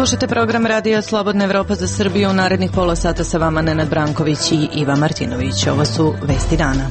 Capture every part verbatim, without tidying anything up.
Slušajte program Radija Slobodna Evropa za Srbiju. U narednih pola sata sa vama Nenad Branković i Iva Martinović. Ovo su vesti dana.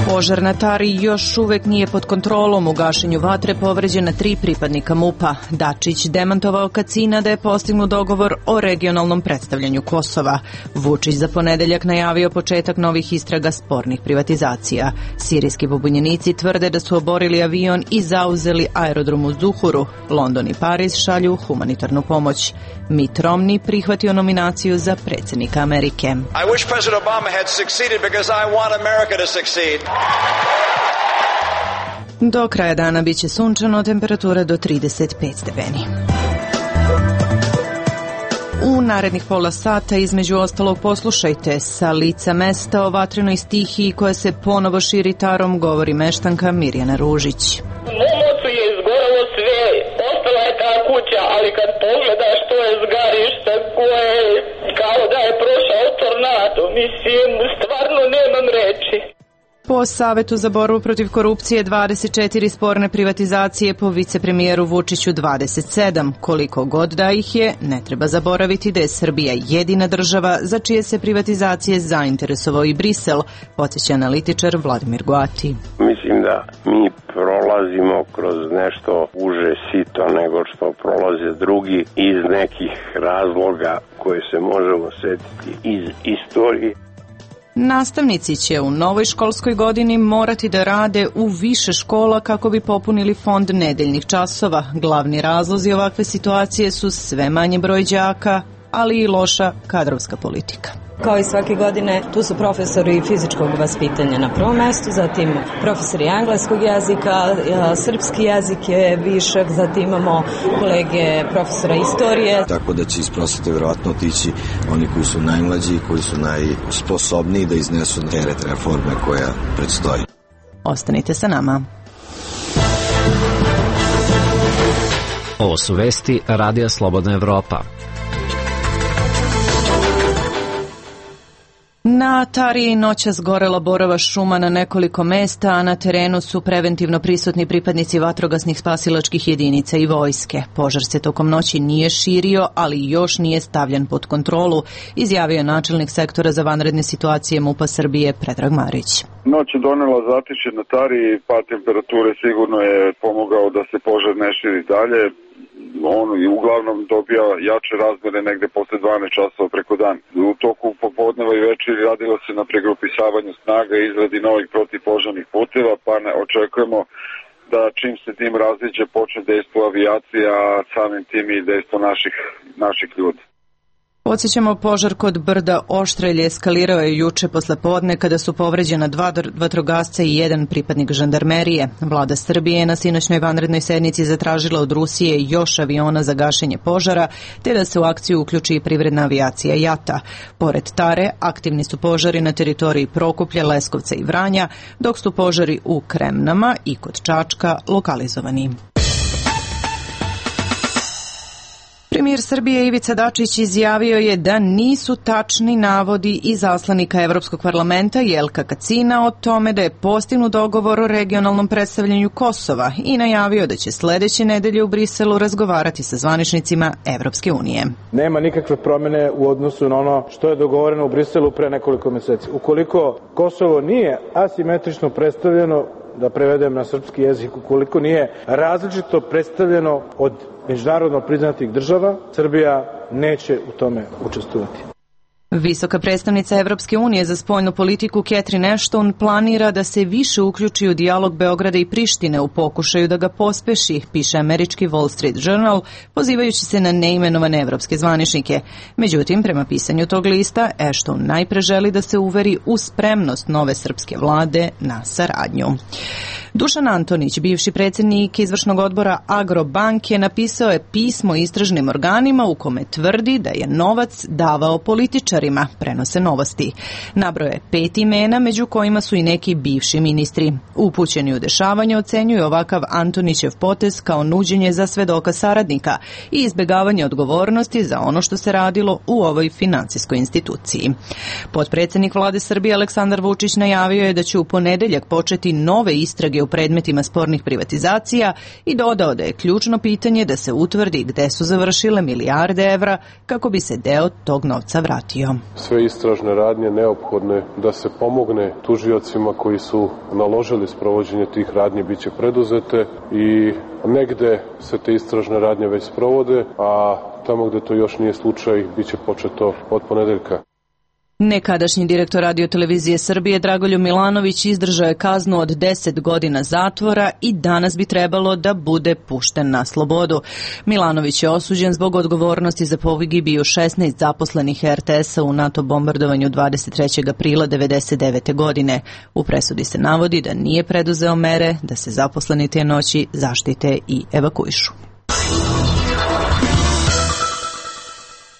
Požar na Tari još uvek nije pod kontrolom. U gašenju vatre povređena tri pripadnika MUP-a. Dačić demantovao Kacina da je postignut dogovor o regionalnom predstavljanju Kosova. Vučić za ponedeljak najavio početak novih istraga spornih privatizacija. Sirijski pobunjenici tvrde da su oborili avion i zauzeli aerodrom u Zuhuru. London i Pariz šalju humanitarnu pomoć. Mitt Romney prihvatio nominaciju za predsjednika Amerike. I wish President Obama had succeeded because I want America to succeed. Do kraja dana biće sunčano, temperatura do trideset pet stepeni. U narednih pola sata između ostalog poslušajte sa lica mesta o vatrenoj stihiji koja se ponovo širi Tarom, govori meštanka Mirjana Ružić. Momocu je izgorelo sve, ostala je ta kuća, ali kad pogledaš to je zgarište koje kao da je prošao tornado, mislim, stvarno nemam reči. Po Savetu za borbu protiv korupcije dvadeset četiri sporne privatizacije, po vicepremijeru Vučiću dvadeset sedam. Koliko god da ih je, ne treba zaboraviti da je Srbija jedina država za čije se privatizacije zainteresovao i Brisel, podsjeća analitičar Vladimir Goati. Mislim da mi prolazimo kroz nešto uže sito nego što prolaze drugi iz nekih razloga koje se možemo setiti iz istorije. Nastavnici će u novoj školskoj godini morati da rade u više škola kako bi popunili fond nedeljnih časova. Glavni razlozi ovakve situacije su sve manji broj đaka, ali i loša kadrovska politika. Kao i svake godine, tu su profesori fizičkog vaspitanja na prvom mestu, zatim profesori engleskog jezika, srpski jezik je višak, zatim imamo kolege profesora istorije. Tako da će iz prosvete verovatno otići oni koji su najmlađi, koji su najsposobniji da iznesu teret reforme koja predstoji. Ostanite sa nama. Ovo su vesti Radija Slobodna Evropa. Na Tari noćas gorela borova šuma na nekoliko mesta, a na terenu su preventivno prisutni pripadnici vatrogasnih spasilačkih jedinica i vojske. Požar se tokom noći nije širio, ali još nije stavljen pod kontrolu, izjavio je načelnik sektora za vanredne situacije MUP-a Srbije Predrag Marić. Noć je donela zatišje na Tari, pad temperature sigurno je pomogao da se požar ne širi dalje. On i uglavnom dobija jače razmere negde posle dvanaest časova preko dan. U toku popodneva i večeri radilo se na pregrupisavanju snaga i izradi novih protivpožarnih puteva, pa ne očekujemo da čim se tim raziđe počne dejstvo avijacija, a samim tim i dejstvo naših, naših ljudi. Podsjećamo, požar kod brda Oštrelje eskalirao je juče posle podne kada su povređena dva vatrogasca i jedan pripadnik žandarmerije. Vlada Srbije je na sinoćnoj vanrednoj sednici zatražila od Rusije još aviona za gašenje požara, te da se u akciju uključi i privredna avijacija JATA. Pored Tare, aktivni su požari na teritoriji Prokuplja, Leskovca i Vranja, dok su požari u Kremnama i kod Čačka lokalizovani. Premijer Srbije Ivica Dačić izjavio je da nisu tačni navodi iz zaslanika Evropskog parlamenta Jelka Kacina o tome da je postignut dogovor o regionalnom predstavljanju Kosova i najavio da će sledeće nedelje u Briselu razgovarati sa zvaničnicima Evropske unije. Nema nikakve promene u odnosu na ono što je dogovoreno u Briselu pre nekoliko meseci. Ukoliko Kosovo nije asimetrično predstavljeno, da prevedem na srpski jezik, ukoliko nije različito predstavljeno od međunarodno priznatih država, Srbija neće u tome učestvovati. Visoka predstavnica Evropske unije za spoljnu politiku Catherine Ashton planira da se više uključi u dijalog Beograda i Prištine u pokušaju da ga pospeši, piše američki Wall Street Journal, pozivajući se na neimenovane evropske zvaničnike. Međutim, prema pisanju tog lista, Ashton najpre želi da se uveri u spremnost nove srpske vlade na saradnju. Dušan Antonić, bivši predsjednik izvršnog odbora Agrobanke, napisao je pismo istražnim organima u kome tvrdi da je novac davao političar političarima, prenose Novosti. Nabroje pet imena, među kojima su i neki bivši ministri. Upućeni u dešavanje ocenjuju ovakav Antonićev potez kao nuđenje za svedoka saradnika i izbegavanje odgovornosti za ono što se radilo u ovoj finansijskoj instituciji. Potpredsednik vlade Srbije Aleksandar Vučić najavio je da će u ponedeljak početi nove istrage u predmetima spornih privatizacija i dodao da je ključno pitanje da se utvrdi gde su završile milijarde evra kako bi se deo tog novca vratio. Sve istražne radnje neophodne da se pomogne tužiocima koji su naložili sprovođenje tih radnji biće preduzete i negde se te istražne radnje već sprovode, a tamo gde to još nije slučaj biće početo od ponedeljka. Nekadašnji direktor Radio-televizije Srbije Dragoljub Milanović izdržao je kaznu od deset godina zatvora i danas bi trebalo da bude pušten na slobodu. Milanović je osuđen zbog odgovornosti za pogibiju šesnaest zaposlenih er te esa u NATO bombardovanju dvadeset trećeg aprila devedeset devete. godine. U presudi se navodi da nije preduzeo mere da se zaposleni te noći zaštite i evakuišu.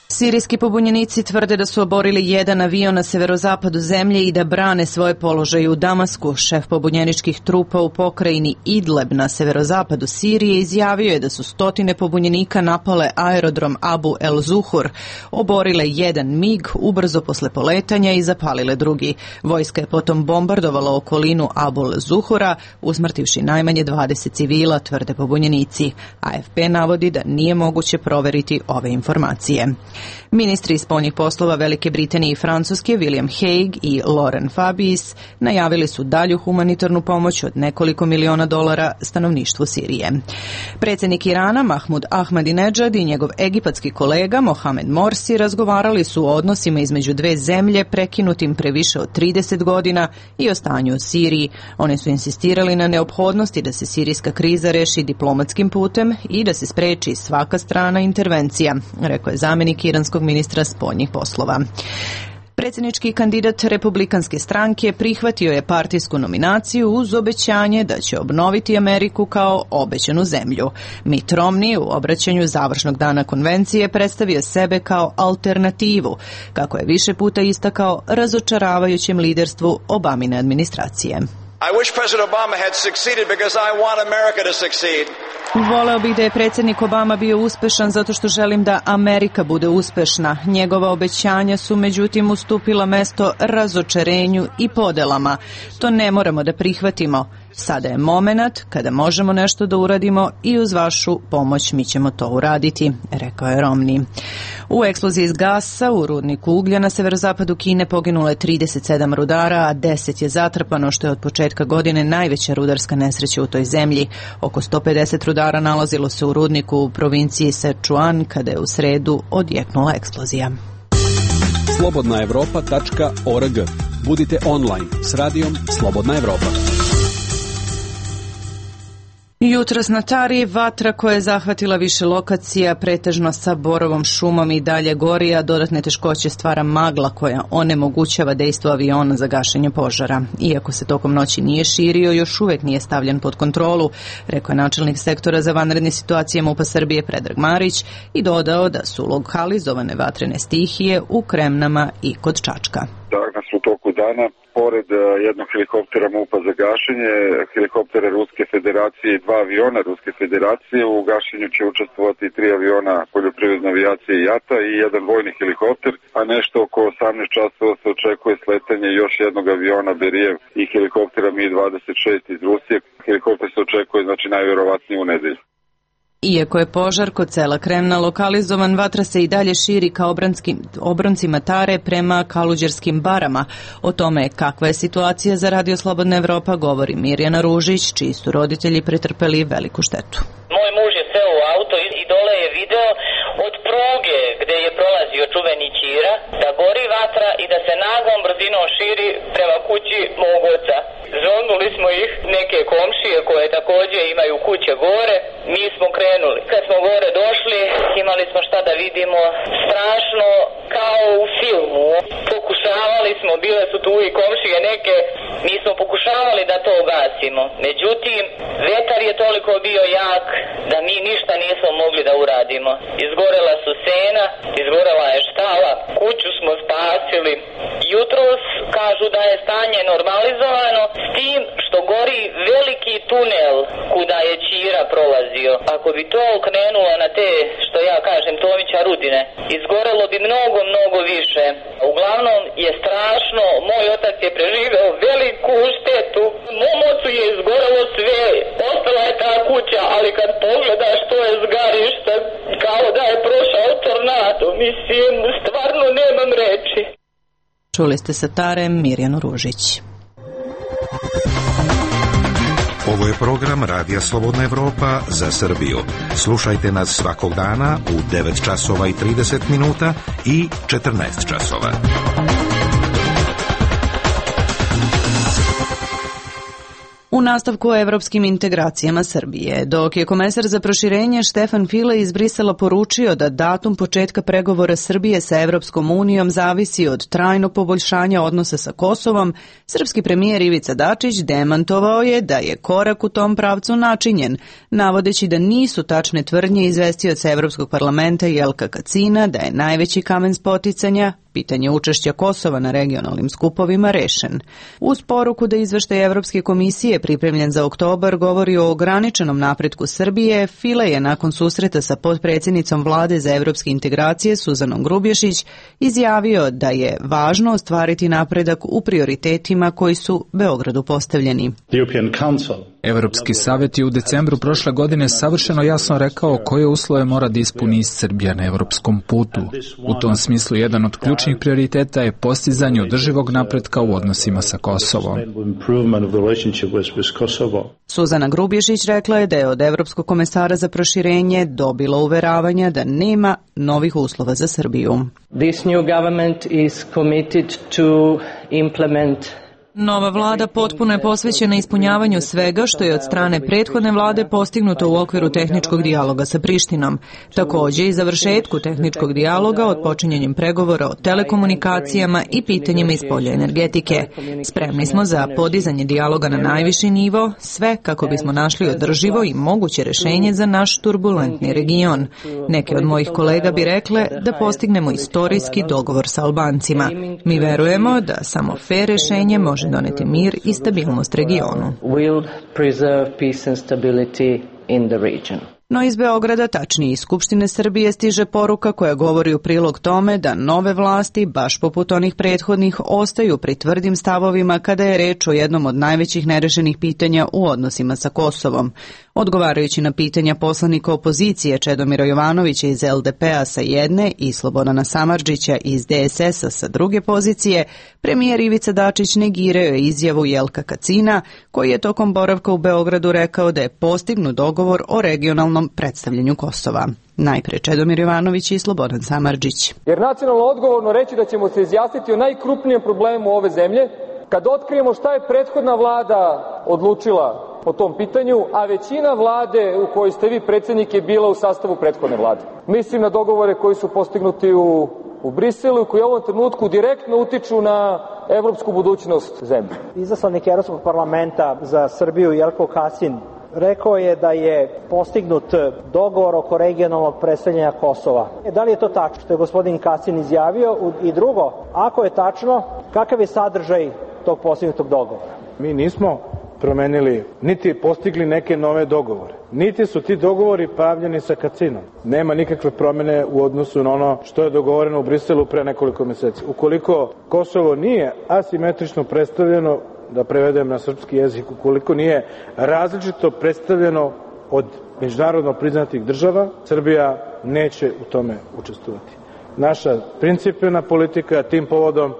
Sirijski pobunjenici tvrde da su oborili jedan avion na severozapadu zemlje i da brane svoje položaje u Damasku. Šef pobunjeničkih trupa u pokrajini Idleb na severozapadu Sirije izjavio je da su stotine pobunjenika napale aerodrom Abu el Zuhur, oborile jedan mig ubrzo posle poletanja i zapalile drugi. Vojska je potom bombardovala okolinu Abu el Zuhura, usmrtivši najmanje dvadeset civila, tvrde pobunjenici. A ef pe navodi da nije moguće proveriti ove informacije. Ministri spoljnih poslova Velike Britanije i Francuske William Hague i Laurent Fabius najavili su dalju humanitarnu pomoć od nekoliko miliona dolara stanovništvu Sirije. Predsjednik Irana Mahmud Ahmadinejad i njegov egipatski kolega Mohamed Morsi razgovarali su o odnosima između dve zemlje prekinutim pre više od trideset godina i o stanju u Siriji. Oni su insistirali na neophodnosti da se sirijska kriza reši diplomatskim putem i da se spreči svaka strana intervencija, rekao je zamenik iranskog ministra spoljnih poslova. Predsjednički kandidat republikanske stranke prihvatio je partijsku nominaciju uz obećanje da će obnoviti Ameriku kao obećanu zemlju. Mitt Romney u obraćanju završnog dana konvencije predstavio sebe kao alternativu, kako je više puta istakao razočaravajućem liderstvu Obamine administracije. I wish President Obama had succeeded because I want America to succeed. Voleo bih da je predsjednik Obama bio uspešan zato što želim da Amerika bude uspešna. Njegova obećanja su međutim ustupila mesto razočarenju i podelama. To ne moramo da prihvatimo. Sada je momenat kada možemo nešto da uradimo i uz vašu pomoć mi ćemo to uraditi, rekao je Romney. U eksploziji iz gasa u rudniku uglja na severozapadu Kine poginulo je trideset sedam rudara, a deset je zatrpano, što je od početka godine najveća rudarska nesreća u toj zemlji. Oko sto pedeset rudara nalazilo se u rudniku u provinciji Sichuan kada je u sredu odjeknula eksplozija. slobodna evropa tačka org. Budite online s radijom Slobodna Evropa. Jutros na Tari vatra koja je zahvatila više lokacija, pretežno sa borovom šumom i dalje gori, a dodatne teškoće stvara magla koja onemogućava dejstvo aviona za gašenje požara. Iako se tokom noći nije širio, još uvek nije stavljen pod kontrolu, rekao je načelnik sektora za vanredne situacije MUP-a Srbije Predrag Marić i dodao da su lokalizovane vatrene stihije u Kremnama i kod Čačka. Danas u toku dana, pored jednog helikoptera MUP-a za gašenje, helikoptera Ruske federacije i dva aviona Ruske federacije, u gašenju će učestvovati tri aviona poljoprivredne avijacije JATA i jedan vojni helikopter, a nešto oko osamnaest časova se očekuje sletanje još jednog aviona Berijev i helikoptera Mi dvadeset šest iz Rusije. Helikopter se očekuje znači najvjerovatnije u nedelju. Iako je požar kod sela Kremna lokalizovan, vatra se i dalje širi ka obroncima Tare prema Kaluđerskim barama. O tome kakva je situacija za Radio Slobodna Evropa govori Mirjana Ružić, čiji su roditelji pretrpeli veliku štetu. Moj muž je seo u auto i dole je video od pruge gde je prolazio čuveni Ćira da gori vatra i da se naglom brzinom širi prema kući mog oca. Zovnuli smo ih, neke komšije koje također imaju kuće gore, mi smo krenuli. Kad smo gore došli, imali smo šta da vidimo, strašno kao u filmu. Pokušavali smo, bile su tu i komšije neke, mi smo pokušavali da to ugasimo. Međutim, vetar je toliko bio jak da mi ništa nismo mogli da uradimo. Izgorela su sena, izgorela je štala, kuću smo spasili. Jutros kažu da je stanje normalizovano s tim što gori veliki tunel kuda je Ćira prolazio. Ako bi to okrenulo na te, što ja kažem, Tomića Rudine, izgorelo bi mnogo, mnogo više. Uglavnom je strašno, moj otac je preživeo veliku štetu. Mom ocu je izgorelo sve, ostala je ta kuća, ali kad pogledaš to je zgarište, kao da je prošao tornado, mislim, stvarno nemam reči. Čuli ste sa Tarem Mirjanu Ružić. Ovo je program Radija Slobodna Evropa za Srbiju. Slušajte nas svakog dana u devet časova i trideset minuta i četrnaest časova. U nastavku o evropskim integracijama Srbije, dok je komesar za proširenje Štefan File iz Brisela poručio da datum početka pregovora Srbije sa Evropskom unijom zavisi od trajnog poboljšanja odnosa sa Kosovom, srpski premijer Ivica Dačić demantovao je da je korak u tom pravcu načinjen, navodeći da nisu tačne tvrdnje izvestioca Evropskog parlamenta Jelka Kacina da je najveći kamen spoticanja pitanje učešća Kosova na regionalnim skupovima rešen. Uz poruku da izveštaj Evropske komisije pripremljen za oktobar govori o ograničenom napretku Srbije, File je nakon susreta sa potpredsjednicom vlade za evropske integracije Suzanom Grubješić izjavio da je važno ostvariti napredak u prioritetima koji su Beogradu postavljeni. Evropski savjet je u decembru prošle godine savršeno jasno rekao koje uslove mora da ispuni Srbija na evropskom putu. U tom smislu jedan od ključnih prioriteta je postizanje održivog napretka u odnosima sa Kosovom. Suzana Grubješić rekla je da je od Evropskog komesara za proširenje dobila uveravanja da nema novih uslova za Srbiju. This new government is committed to implement Nova vlada potpuno je posvećena ispunjavanju svega što je od strane prethodne vlade postignuto u okviru tehničkog dijaloga sa Prištinom. Također i završetku tehničkog dijaloga od počinjenjem pregovora o telekomunikacijama i pitanjima iz polja energetike. Spremni smo za podizanje dijaloga na najviši nivo, sve kako bismo našli održivo i moguće rešenje za naš turbulentni region. Neke od mojih kolega bi rekle da postignemo istorijski dogovor sa Albancima. Mi verujemo da samo fer rešenje može doneti mir i stabilnost regionu. No iz Beograda, tačnije iz Skupštine Srbije, stiže poruka koja govori u prilog tome da nove vlasti, baš poput onih prethodnih, ostaju pri tvrdim stavovima kada je reč o jednom od najvećih nerešenih pitanja u odnosima sa Kosovom. Odgovarajući na pitanja poslanika opozicije Čedomira Jovanovića iz L D P-a sa jedne i Slobodana Samardžića iz D S S-a sa druge pozicije, premijer Ivica Dačić negirao je izjavu Jelka Kacina, koji je tokom boravka u Beogradu rekao da je postignut dogovor o regionalnom predstavljanju Kosova. Najpre Čedomir Jovanović i Slobodan Samardžić. Jer nacionalno odgovorno reći da ćemo se izjasniti o najkrupnijem problemu ove zemlje, kad otkrijemo šta je prethodna vlada odlučila po tom pitanju, a većina vlade u kojoj ste vi predsjednik je bila u sastavu prethodne vlade. Mislim na dogovore koji su postignuti u, u Briselu i koji u ovom trenutku direktno utiču na evropsku budućnost zemlje. Izaslanik Evropskog parlamenta za Srbiju Jelko Kacin rekao je da je postignut dogovor oko regionalnog predstavljanja Kosova. Da li je to tačno što je gospodin Kacin izjavio? I drugo, ako je tačno, kakav je sadržaj tog postignutog dogovora? Mi nismo promenili, niti postigli neke nove dogovore. Niti su ti dogovori pravljeni sa Kacinom. Nema nikakve promjene u odnosu na ono što je dogovoreno u Briselu pre nekoliko mjeseci. Ukoliko Kosovo nije asimetrično predstavljeno, da prevedem na srpski jezik, ukoliko nije različito predstavljeno od međunarodno priznatih država, Srbija neće u tome učestvovati. Naša principijelna politika tim povodom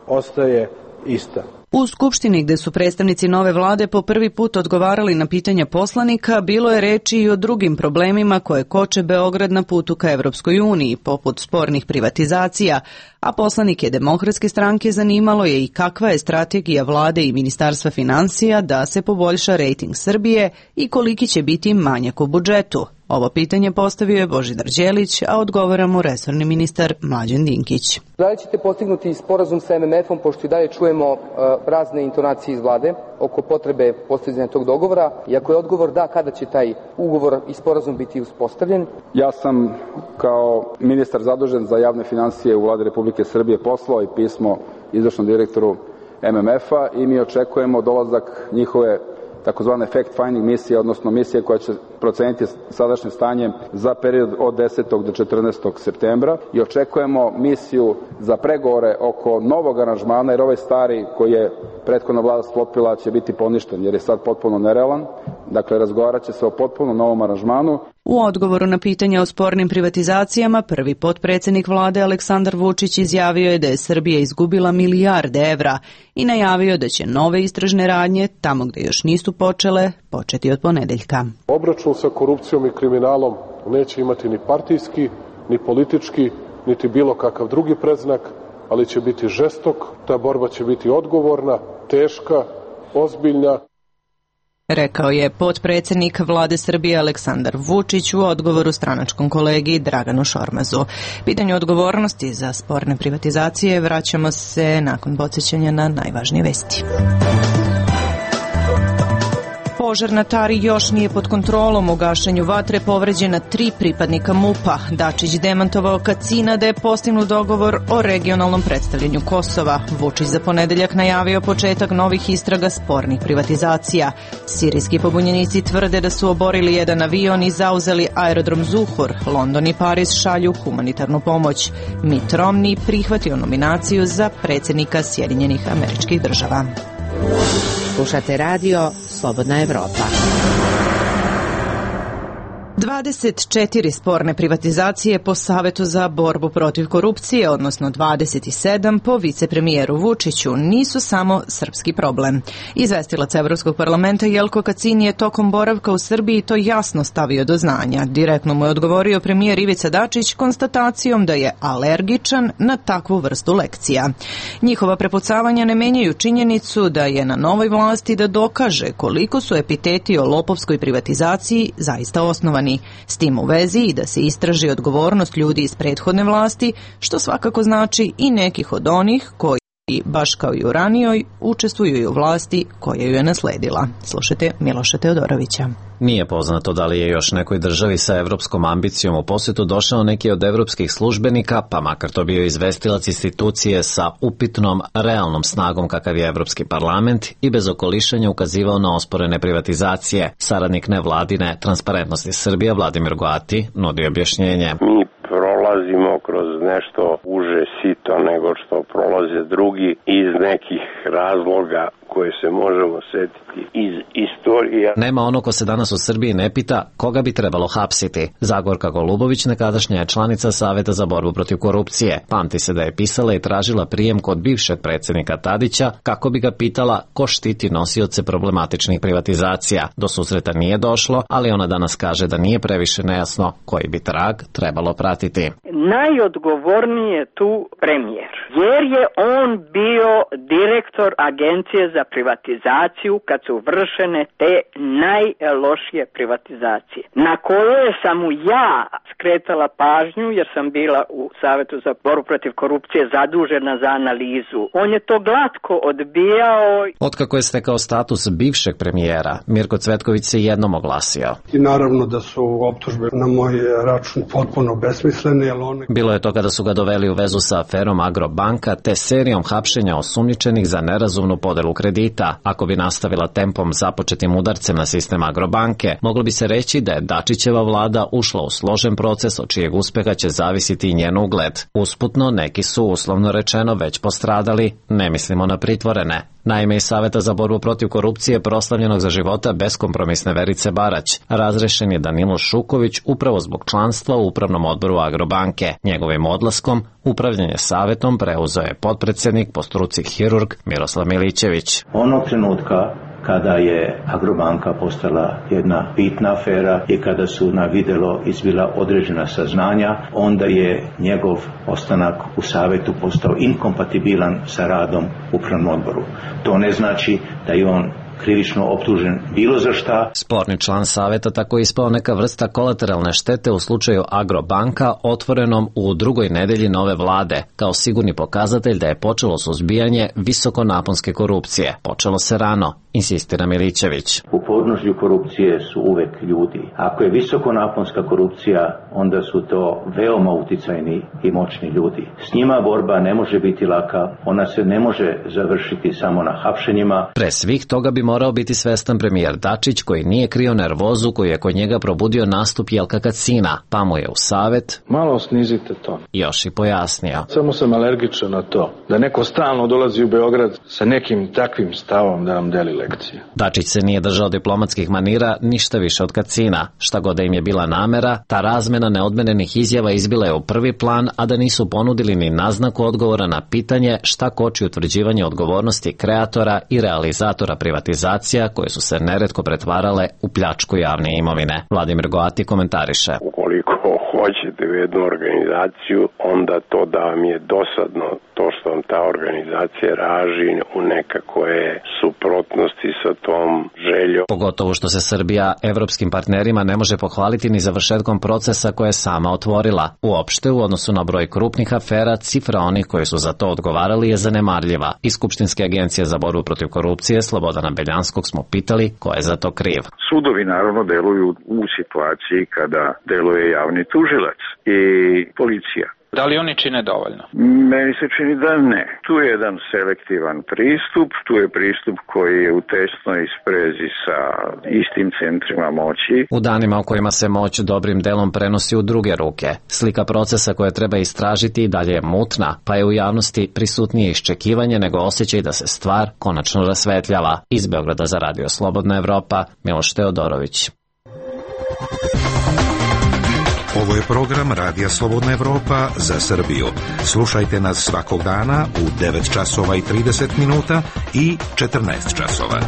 ostaje ista. U Skupštini, gde su predstavnici nove vlade po prvi put odgovarali na pitanja poslanika, bilo je reči i o drugim problemima koje koče Beograd na putu ka Evropskoj uniji, poput spornih privatizacija, a poslanike Demokratske stranke zanimalo je i kakva je strategija vlade i Ministarstva finansija da se poboljša rejting Srbije i koliki će biti manjak u budžetu. Ovo pitanje postavio je Božidar Đelić, a odgovara mu resorni ministar Mlađan Dinkić. Da li ćete postignuti sporazum sa em em efom, pošto i dalje čujemo uh, razne intonacije iz vlade oko potrebe postizanja tog dogovora? I ako je odgovor da, kada će taj ugovor i sporazum biti uspostavljen? Ja sam kao ministar zadužen za javne financije u Vladi Republike Srbije poslao i pismo izvršnom direktoru em em efa i mi očekujemo dolazak njihove takozvane fact-finding misije, odnosno misije koja će proceniti sadašnje stanje za period od desetog do četrnaestog septembra i očekujemo misiju za pregovore oko novog aranžmana, jer ovaj stari koji je prethodna vlada sklopila će biti poništen, jer je sad potpuno nerealan. Dakle, razgovarat će se o potpuno novom aranžmanu. U odgovoru na pitanja o spornim privatizacijama, prvi potpredsjednik vlade Aleksandar Vučić izjavio je da je Srbija izgubila milijarde evra i najavio da će nove istražne radnje, tamo gde još nisu počele, početi od ponedeljka. Obračun sa korupcijom i kriminalom neće imati ni partijski, ni politički, niti bilo kakav drugi predznak, ali će biti žestok, ta borba će biti odgovorna, teška, ozbiljna. Rekao je potpredsjednik vlade Srbije Aleksandar Vučić u odgovoru stranačkom kolegi Draganu Šormazu. Pitanju odgovornosti za sporne privatizacije vraćamo se nakon podsjećanja na najvažnije vesti. Požar na Tari još nije pod kontrolom. U gašenju vatre povređena tri pripadnika MUP-a. Dačić demantovao Kacina da je postignut dogovor o regionalnom predstavljanju Kosova. Vučić za ponedeljak najavio početak novih istraga spornih privatizacija. Sirijski pobunjenici tvrde da su oborili jedan avion i zauzeli aerodrom Zuhur. London i Pariz šalju humanitarnu pomoć. Mitt Romney prihvatio nominaciju za predsjednika Sjedinjenih Američkih Država. Slušate radio Slobodna Evropa. dvadeset četiri sporne privatizacije po Savetu za borbu protiv korupcije, odnosno dvadeset sedam po vicepremijeru Vučiću, nisu samo srpski problem. Izvestilac Evropskog parlamenta Jelko Kacin je tokom boravka u Srbiji to jasno stavio do znanja. Direktno mu je odgovorio premijer Ivica Dačić konstatacijom da je alergičan na takvu vrstu lekcija. Njihova prepucavanja ne menjaju činjenicu da je na novoj vlasti da dokaže koliko su epiteti o lopovskoj privatizaciji zaista osnovani. S tim u vezi i da se istraži odgovornost ljudi iz prethodne vlasti, što svakako znači i nekih od onih koji, baš kao i u ranijoj, učestvuju i u vlasti koja ju je nasledila. Slušajte Miloša Teodorovića. Nije poznato da li je još nekoj državi sa evropskom ambicijom u posjetu došao neki od evropskih službenika, pa makar to bio izvestilac institucije sa upitnom realnom snagom kakav je Evropski parlament i bez okolišanja ukazivao na osporene privatizacije. Saradnik nevladine Transparentnosti Srbije Vladimir Goati nudi objašnjenje. Mi prolazimo kroz nešto uže sito nego što prolaze drugi iz nekih razloga koje se možemo setiti iz istorije. Nema ono ko se danas u Srbiji ne pita koga bi trebalo hapsiti. Zagorka Golubović, nekadašnja je članica Saveta za borbu protiv korupcije. Pamti se da je pisala i tražila prijem kod bivšeg predsjednika Tadića kako bi ga pitala ko štiti nosioce problematičnih privatizacija. Do susreta nije došlo, ali ona danas kaže da nije previše nejasno koji bi trag trebalo pratiti. Najodgovorniji je tu premijer, jer je on bio direktor Agencije za privatizaciju kad su vršene te najlošije privatizacije, na koje sam mu ja skretala pažnju jer sam bila u Savetu za borbu protiv korupcije zadužena za analizu. On je to glatko odbijao. Otkako je stekao status bivšeg premijera, Mirko Cvetković se jednom oglasio. I naravno da su optužbe na moj račun potpuno besmislene. One... Bilo je to kada su ga doveli u vezu sa aferom Agrobanka te serijom hapšenja osumnjičenih za nerazumnu podelu kredita. Ako bi nastavila tempom započetim udarcem na sistem Agrobanke, moglo bi se reći da je Dačićeva vlada ušla u složen proces od čijeg uspeha će zavisiti i njen ugled. Usputno, neki su, uslovno rečeno, već postradali, ne mislimo na pritvorene. Naime, iz Saveta za borbu protiv korupcije proslavljenog za života beskompromisne Verice Barać razrešen je Danilo Šuković upravo zbog članstva u upravnom odboru Agrobanke. Njegovim odlaskom upravljanje savetom preuzeo je potpredsjednik po struci hirurg Miroslav Milićević. Onog trenutka kada je Agrobanka postala jedna bitna afera i kada su na videlo izbila određena saznanja, onda je njegov ostanak u savetu postao inkompatibilan sa radom u upravnom odboru. To ne znači da je on krivično optužen bilo za šta. Sporni član saveta tako ispao neka vrsta kolateralne štete u slučaju Agrobanka otvorenom u drugoj nedelji nove vlade, kao sigurni pokazatelj da je počelo suzbijanje visokonaponske korupcije. Počelo se rano, insistira Milićević. U podnožju korupcije su uvek ljudi. Ako je visokonaponska korupcija, onda su to veoma uticajni i moćni ljudi. S njima borba ne može biti laka, ona se ne može završiti samo na hapšenjima. Pre svih toga bi morao biti svestan premijer Dačić, koji nije krio nervozu koju je kod njega probudio nastup Jelka Kacina, pa mu je u savet malo snizite to. Još i pojasnio. Samo sam alergičan na to, da neko stalno dolazi u Beograd sa nekim takvim stavom da nam deli lekcije. Dačić se nije držao diplomatskih manira ništa više od Kacina. Šta god da im je bila namera, ta razmena neodmenenih izjava izbila je u prvi plan, a da nisu ponudili ni naznaku odgovora na pitanje šta koči utvrđivanje odgovornosti kreatora i realizatora privatizacija koje su se neretko pretvarale u pljačku javne imovine. Vladimir Goati komentariše. Ukoliko hoćete u jednu organizaciju, onda to da vam je dosadno to što vam ta organizacija raži u nekakve suprotnosti sa tom željom. Pogotovo što se Srbija evropskim partnerima ne može pohvaliti ni završetkom procesa koje je sama otvorila. Uopšte, u odnosu na broj krupnih afera, cifra onih koji su za to odgovarali je zanemarljiva. Iz Skupštinske agencije za borbu protiv korupcije Slobodana Beljanskog smo pitali ko je za to kriv. Sudovi naravno deluju u situaciji kada deluje javni tužilac i policija. Da li oni čine dovoljno? Meni se čini da ne. Tu je jedan selektivan pristup, tu je pristup koji je u tesnoj sprezi sa istim centrima moći. U danima u kojima se moć dobrim delom prenosi u druge ruke, slika procesa koje treba istražiti i dalje je mutna, pa je u javnosti prisutnije iščekivanje nego osjećaj da se stvar konačno rasvetljava. Iz Beograda za Radio Slobodna Evropa, Miloš Teodorović. Ovo je program Radija Slobodna Evropa za Srbiju. Slušajte nas svakog dana u devet časova i trideset minuta i četrnaest časova.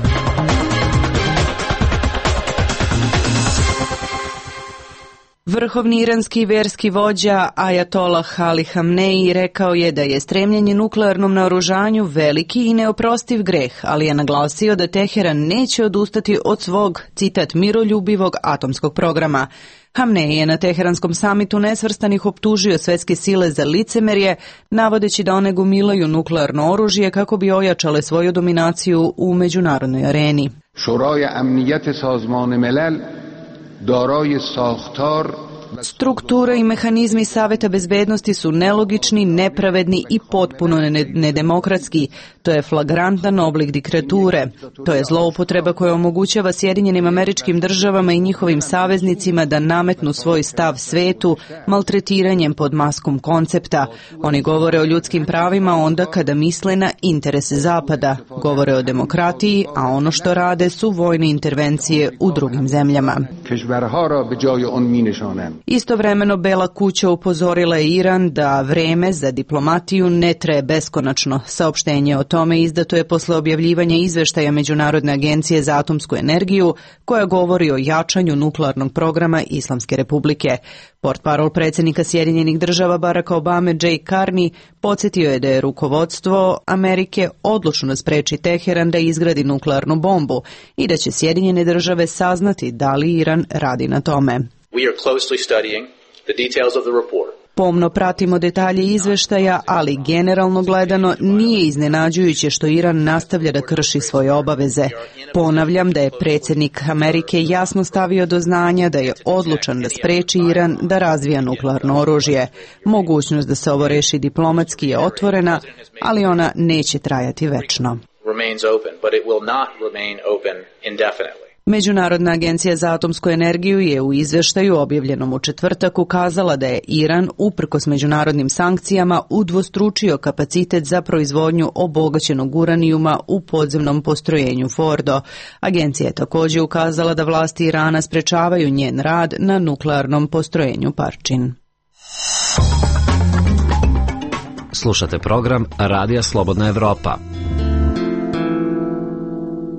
Vrhovni iranski verski vođa Ajatolah Ali Hamneji rekao je da je stremljenje nuklearnom naoružanju veliki i neoprostiv greh, ali je naglasio da Teheran neće odustati od svog, citat, miroljubivog atomskog programa. Hamneji je na Teheranskom samitu nesvrstanih optužio svetske sile za licemerje, navodeći da one gomilaju nuklearno oružje kako bi ojačale svoju dominaciju u međunarodnoj areni. Šuraj amnijat sazman milal daraj sakhtar. Struktura i mehanizmi Saveta bezbednosti su nelogični, nepravedni i potpuno nedemokratski. To je flagrantan oblik diktature. To je zloupotreba koja omogućava Sjedinjenim Američkim Državama i njihovim saveznicima da nametnu svoj stav svetu maltretiranjem pod maskom koncepta. Oni govore o ljudskim pravima onda kada misle na interese Zapada. Govore o demokratiji, a ono što rade su vojne intervencije u drugim zemljama. Istovremeno Bela kuća upozorila je Iran da vreme za diplomatiju ne traje beskonačno. Saopštenje o tome izdato je posle objavljivanja izveštaja Međunarodne agencije za atomsku energiju koja govori o jačanju nuklearnog programa Islamske republike. Portparol predsjednika Sjedinjenih Država Baracka Obame Jay Carney podsjetio je da je rukovodstvo Amerike odlučno da spreči Teheran da izgradi nuklearnu bombu i da će Sjedinjene Države saznati da li Iran radi na tome. We are closely studying the details of the report. Pomno pratimo detalje izveštaja, ali generalno gledano nije iznenađujuće što Iran nastavlja da krši svoje obaveze. Ponavljam da je predsjednik Amerike jasno stavio do znanja da je odlučan da spreči Iran da razvija nuklearno oružje. Mogućnost da se ovo reši diplomatski je otvorena, ali ona neće trajati večno. Remains open, but it will not remain open indefinitely. Međunarodna agencija za atomsku energiju je u izveštaju objavljenom u četvrtak ukazala da je Iran, uprkos međunarodnim sankcijama, udvostručio kapacitet za proizvodnju obogaćenog uranijuma u podzemnom postrojenju Fordo. Agencija je također ukazala da vlasti Irana sprečavaju njen rad na nuklearnom postrojenju Parčin. Slušate program Radija Slobodna Evropa.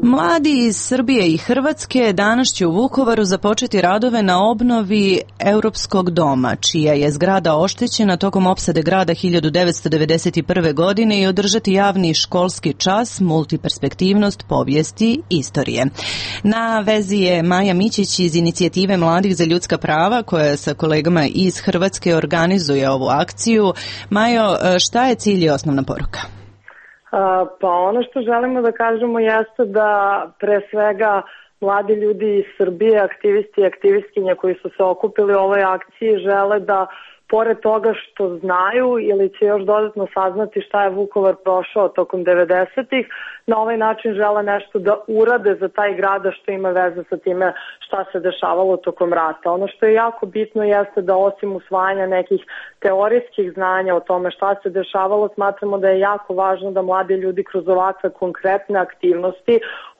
Mladi iz Srbije i Hrvatske danas će u Vukovaru započeti radove na obnovi Europskog doma, čija je zgrada oštećena tokom opsade grada hiljadu devetsto devedeset prve. godine i održati javni školski čas multiperspektivnost povijesti istorije. Na vezi je Maja Mićić iz Inicijative mladih za ljudska prava, koja sa kolegama iz Hrvatske organizuje ovu akciju. Majo, šta je cilj i osnovna poruka? Pa ono što želimo da kažemo jeste da pre svega mladi ljudi iz Srbije, aktivisti i aktivistkinje koji su se okupili u ovoj akciji žele da pored toga što znaju ili će još dodatno saznati šta je Vukovar prošao tokom devedesetih, na ovaj način žele nešto da urade za taj grad, što ima veze sa time šta se dešavalo tokom rata. Ono što je jako bitno jeste da osim usvajanja nekih teorijskih znanja o tome šta se dešavalo, smatramo da je jako važno da mladi ljudi kroz ovakve konkretne aktivnosti,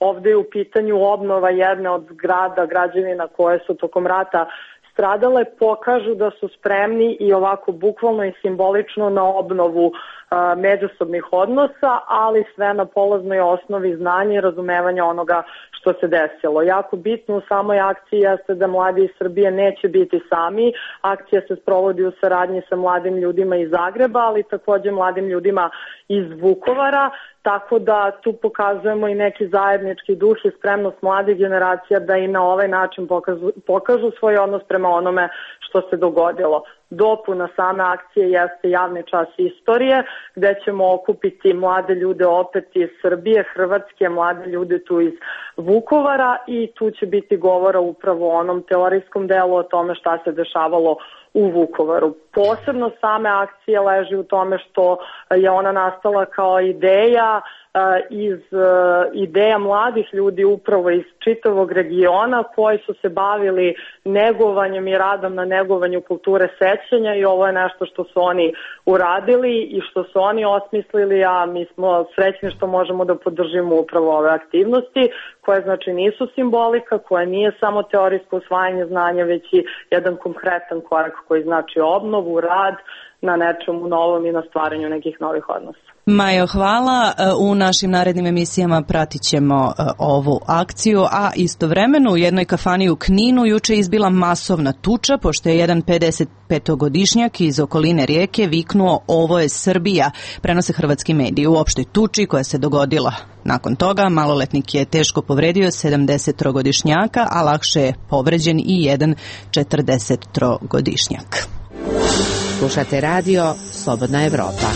ovde je u pitanju obnova jedne od zgrada, građevina koje su tokom rata stradale, pokažu da su spremni i ovako bukvalno i simbolično na obnovu a, međusobnih odnosa, ali sve na polaznoj osnovi znanja i razumevanja onoga što se desilo. Jako bitno u samoj akciji jeste da mladi iz Srbije neće biti sami. Akcija se sprovodi u saradnji sa mladim ljudima iz Zagreba, ali takođe mladim ljudima iz Vukovara, tako da tu pokazujemo i neki zajednički duh i spremnost mladih generacija da i na ovaj način pokažu, pokažu svoj odnos prema onome što se dogodilo. Dopuna same akcije jeste javni čas istorije, gde ćemo okupiti mlade ljude opet iz Srbije, Hrvatske, mlade ljude tu iz Vukovara i tu će biti govora upravo o onom teorijskom delu o tome šta se dešavalo u Vukovaru. Posebno same akcije leži u tome što je ona nastala kao ideja iz ideja mladih ljudi upravo iz čitavog regiona koji su se bavili negovanjem i radom na negovanju kulture sećanja i ovo je nešto što su oni uradili i što su oni osmislili, a mi smo srećni što možemo da podržimo upravo ove aktivnosti koje znači nisu simbolika, koje nije samo teorijsko usvajanje znanja, već i jedan konkretan korak koji znači obnovu, rad na nečemu novom i na stvaranju nekih novih odnosa. Majo, hvala. U našim narednim emisijama pratit ćemo ovu akciju, a istovremeno u jednoj kafani u Kninu juče izbila masovna tuča, pošto je jedan pedesetpetogodišnjak iz okoline Rijeke viknuo "Ovo je Srbija", prenose hrvatski mediji. U opštoj tuči koja se dogodila nakon toga, maloletnik je teško povredio sedamdesettrogodišnjaka, a lakše je povređen i jedan četrdesettrogodišnjak. Slušate radio Slobodna Evropa.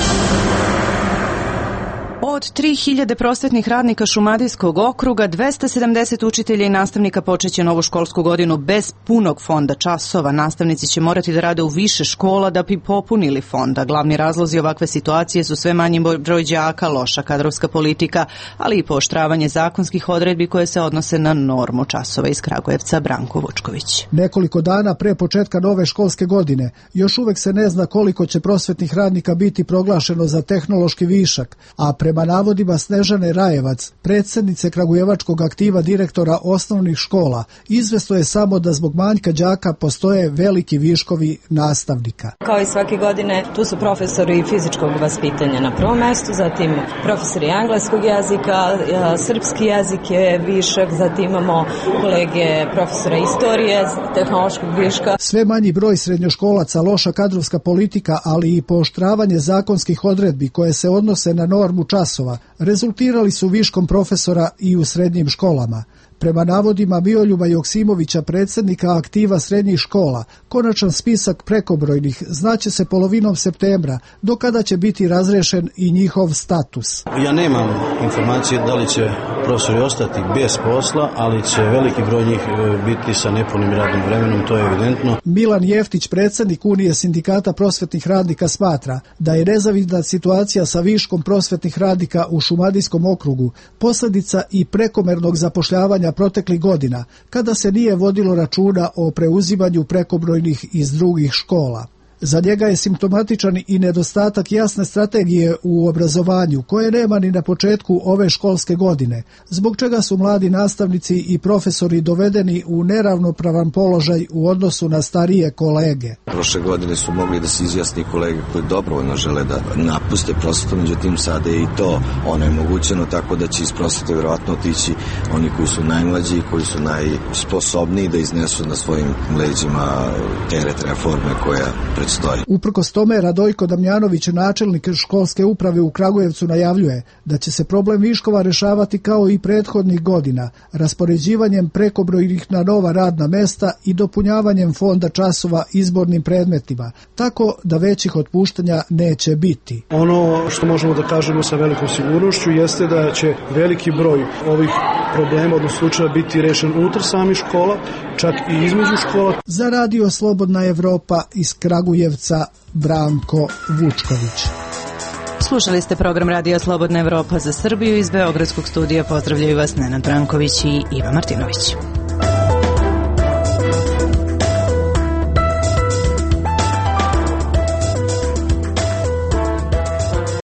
Od tri hiljade prosvetnih radnika Šumadijskog okruga, dvesta sedamdeset učitelja i nastavnika počeće novu školsku godinu bez punog fonda časova. Nastavnici će morati da rade u više škola da bi popunili fonda. Glavni razlozi ovakve situacije su sve manji broj đaka, loša kadrovska politika, ali i pooštravanje zakonskih odredbi koje se odnose na normu časova. Iz Kragujevca Branko Vučković. Nekoliko dana pre početka nove školske godine još uvek se ne zna koliko će prosvetnih radnika biti proglašeno za tehnološki višak, a prema navodima Snežane Rajevac, predsjednice kragujevačkog aktiva direktora osnovnih škola, izvesno je samo da zbog manjka đaka postoje veliki viškovi nastavnika. Kao i svake godine, tu su profesori fizičkog vaspitanja na prvom mestu, zatim profesori engleskog jezika, srpski jezik je višak, zatim imamo kolege profesora istorije, tehnološkog viška. Sve manji broj srednjoškolaca, loša kadrovska politika, ali i pooštravanje zakonskih odredbi koje se odnose na normu časova rezultirali su viškom profesora i u srednjim školama. Prema navodima Mioljuba Joksimovića, predsjednika aktiva srednjih škola, konačan spisak prekobrojnih znaće se polovinom septembra, do kada će biti razrešen i njihov status. Ja nemam informacije da li će profesori ostati bez posla, ali će veliki broj njih biti sa nepunim radnim vremenom, to je evidentno. Milan Jeftić, predsjednik Unije sindikata prosvetnih radnika, smatra da je nezavidna situacija sa viškom prosvetnih radnika u Šumadijskom okrugu posljedica i prekomernog zapošljavanja proteklih godina, kada se nije vodilo računa o preuzimanju prekobrojnih iz drugih škola. Za njega je simptomatičan i nedostatak jasne strategije u obrazovanju, koje nema ni na početku ove školske godine, zbog čega su mladi nastavnici i profesori dovedeni u neravnopravan položaj u odnosu na starije kolege. Prošle godine su mogli da se izjasni kolege koji dobrovoljno žele da napuste prosvetu, međutim sada je i to onemogućeno, tako da će iz prosvete vjerovatno otići oni koji su najmlađi i koji su najsposobniji da iznesu na svojim leđima teret reforme koja predstoji. Uprkos tome, Radojko Damjanović, načelnik školske uprave u Kragujevcu, najavljuje da će se problem viškova rešavati kao i prethodnih godina, raspoređivanjem prekobrojnih na nova radna mesta i dopunjavanjem fonda časova izbornim predmetima, tako da većih otpuštanja neće biti. Ono što možemo da kažemo sa velikom sigurnošću jeste da će veliki broj ovih problema, odnosno slučaja, biti rešen unutar samih škola, čak i između škola. Za Radio Slobodna Evropa iz Kragujevca, Branko Vučković. Slušali ste program Radija Slobodna Evropa za Srbiju. Iz Beogradskog studija pozdravljaju vas Nenad Branković i Iva Martinović.